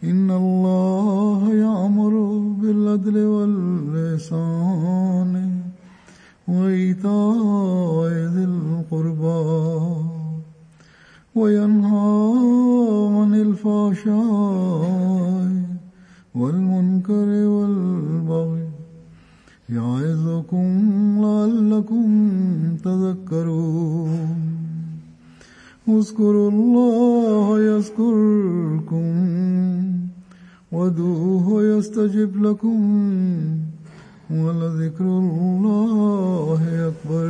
إن الله يأمر بالعدل والإحسان وإيتاء ذي القربى وينهى عن الفحشاء والمنكر والبغي يعظكم لعلكم تذكرون اذكروا الله يذكركم وادعوه يستجب لكم ولذكر الله أكبر.